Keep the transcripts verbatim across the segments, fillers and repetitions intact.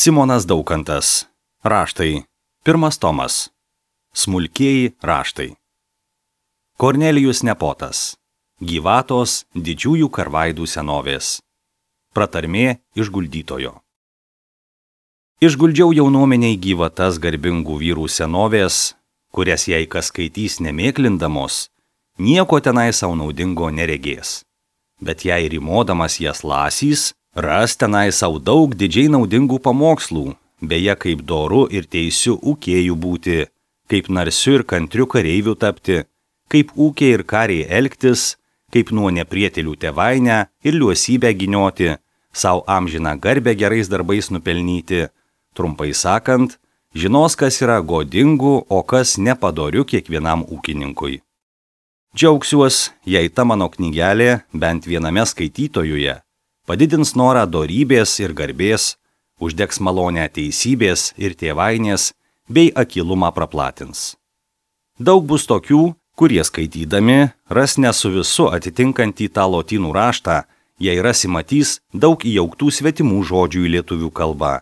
Simonas Daukantas. Raštai. Pirmas tomas. Smulkieji raštai. Kornelijus Nepotas. Gyvatos didžiųjų karvaidų senovės. Pratarmė išguldytojo. Išguldžiau jaunuomeniai gyvatas garbingų vyrų senovės, kurias jei kas skaitys nemėklindamos, nieko tenai savo naudingo neregės. Bet jei rimodamas jas lasys, ras tenai savo daug didžiai naudingų pamokslų, beje kaip doru ir teisiu ūkėjų būti, kaip narsiu ir kantriu kareiviu tapti, kaip ūkiai ir kariai elgtis, kaip nuo neprietelių tėvainę ir liuosybę ginioti, savo amžiną garbę gerais darbais nupelnyti, trumpai sakant, žinos, kas yra godingų, o kas nepadoriu kiekvienam ūkininkui. Džiaugsiuos, jei ta mano knygelė bent viename skaitytojuje padidins norą dorybės ir garbės, uždegs malonę teisybės ir tėvainės bei akylumą praplatins. Daug bus tokių, kurie skaitydami ras ne su visu atitinkantį tą lotynų raštą, jei rasi matys daug įjauktų svetimų žodžių į lietuvių kalbą,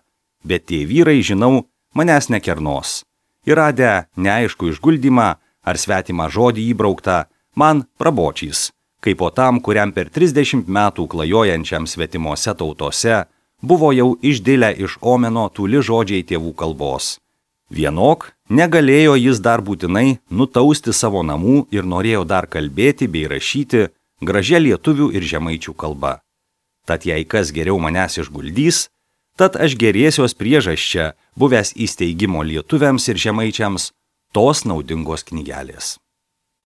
bet tie vyrai, žinau, manęs nekernos. Įradę neaišku išguldymą ar svetimą žodį įbrauktą, man prabočys, kaip po tam, kuriam per trisdešimt metų klajojančiam svetimose tautose buvo jau išdilę iš omeno tūli žodžiai tėvų kalbos. Vienok negalėjo jis dar būtinai nutausti savo namų ir norėjo dar kalbėti bei rašyti gražia lietuvių ir žemaičių kalba. Tad jei kas geriau manęs išguldys, tad aš gerėsiuos priežasčia, buvęs įsteigimo lietuviams ir žemaičiams, tos naudingos knygelės.